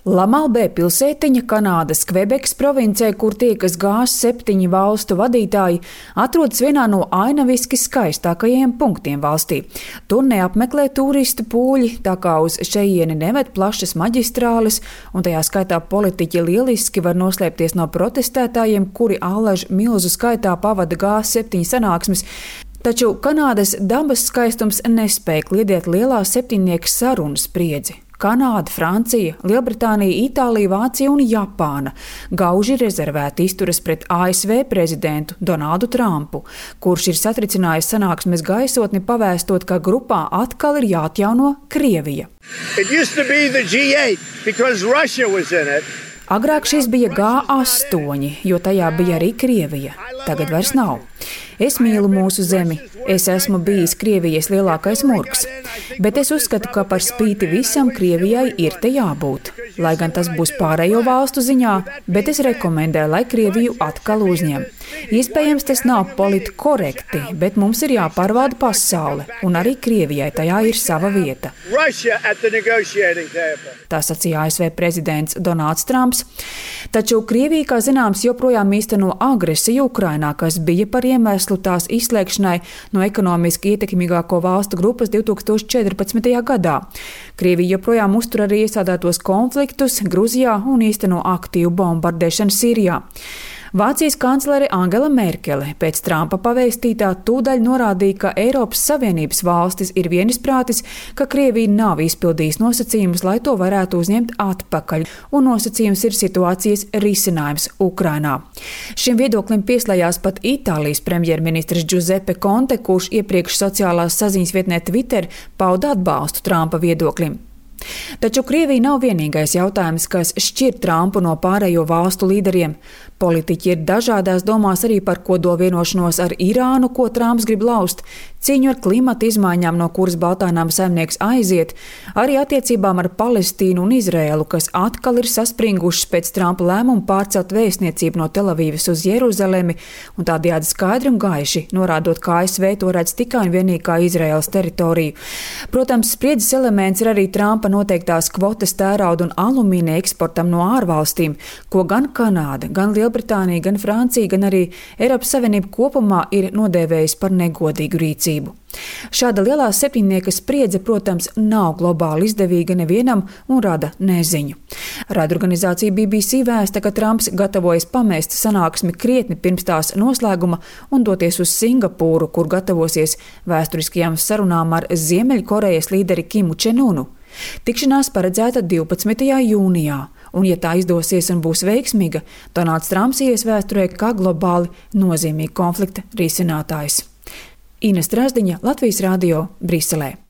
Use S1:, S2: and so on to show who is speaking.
S1: Lamalbē pilsētiņa Kanādas Kvebekas provincē, kur tiekas G7 valstu vadītāji, atrodas vienā no ainaviski skaistākajiem punktiem valstī. Tur neapmeklē turistu pūļi, tā kā uz šejieni neved plašas maģistrāles, un tajā skaitā politiķi lieliski var noslēpties no protestētājiem, kuri allaž milzu skaitā pavada G7 sanāksmes. Taču Kanādas dabas skaistums nespēja kliedēt lielā septiņnieka sarunu spriedzi. Kanāda, Francija, Lielbritānija, Itālija, Vācija un Japāna gauži rezervēti izturas pret ASV prezidentu Donaldu Trumpu, kurš ir satricinājis sanāksmes gaisotni, pavēstot, ka grupā atkal ir jāatjauno Krievija. Agrāk šis bija G8, jo tajā bija arī Krievija. Tagad vairs nav. Es mīlu mūsu zemi. Es esmu bijis Krievijas lielākais murgs. Bet es uzskatu, ka par spīti visam Krievijai ir te jābūt. Lai gan tas būs pārējo valstu ziņā, bet es rekomendēju, lai Krieviju atkal uzņem. Iespējams, tas nav politi korekti, bet mums ir jāpārvalda pasaule, un arī Krievijai tajā ir sava vieta. Tā sacīja ASV prezidents Donalds Trumps. Taču Krievija, kā zināms, joprojām īsteno agresiju Ukrainā, kas bija par iemeslu tās izslēgšanai no ekonomiski ietekmīgāko valstu grupas 2014. gadā. Krievija joprojām uztur arī iesādētos konfliktus Gruzijā un īsteno aktīvu bombardēšanu Sīrijā. Vācijas kanclere Angela Merkele pēc Trumpa pavēstītā tūdaļ norādīja, ka Eiropas Savienības valstis ir vienisprātis, ka Krievija nav izpildījusi nosacījumus, lai to varētu uzņemt atpakaļ, un nosacījums ir situācijas risinājums Ukrainā. Šim viedoklim pieslējās pat Itālijas premjerministrs Giuseppe Conte, kurš iepriekš sociālās saziņas vietnē Twitter pauda atbalstu Trumpa viedoklim. Taču Krievija nav vienīgais jautājums, kas šķir Trumpu no pārējo valstu līderiem. Politiķi ir dažādās domās arī par kodolvienošanos ar Irānu, ko Trumps grib laust, cīņu ar klimata izmaiņām, no kuras Baltānama saimnieks aiziet, arī attiecībām ar Palestīnu un Izraēlu, kas atkal ir saspringušas pēc Trumpa lēmuma pārcelt vēstniecību no Telavīvas uz Jeruzalemi un tādējādi skaidri un gaiši norādot, ka ASV to redz tikai un vienīgi kā Izraēlas teritoriju. Protams, spriedzes elements ir arī Trumpa noteiktās kvotas tērauda un alumīnija eksportam no ārvalstīm, ko gan Kanāda, gan Lielbritānija, gan Francija, gan arī Eiropas Savienība kopumā ir nodēvējusi par negodīgu rīcību. Šāda lielā septiņnieka spriedze, protams, nav globāli izdevīga nevienam un rada neziņu. Raidorganizācija BBC vēsta, ka Trumps gatavojas pamest sanāksmi krietni pirms tās noslēguma un doties uz Singapūru, kur gatavosies vēsturiskajām sarunām ar Ziemeļkorejas līderi Kimu Čenunu. Tikšanās paredzēta 12. jūnijā, un, ja tā izdosies un būs veiksmīga, Donalds Trumps ies vēsturē kā globāli nozīmīga konflikta risinātājs. Ines Drazdiņa, Latvijas Radio, Briselē.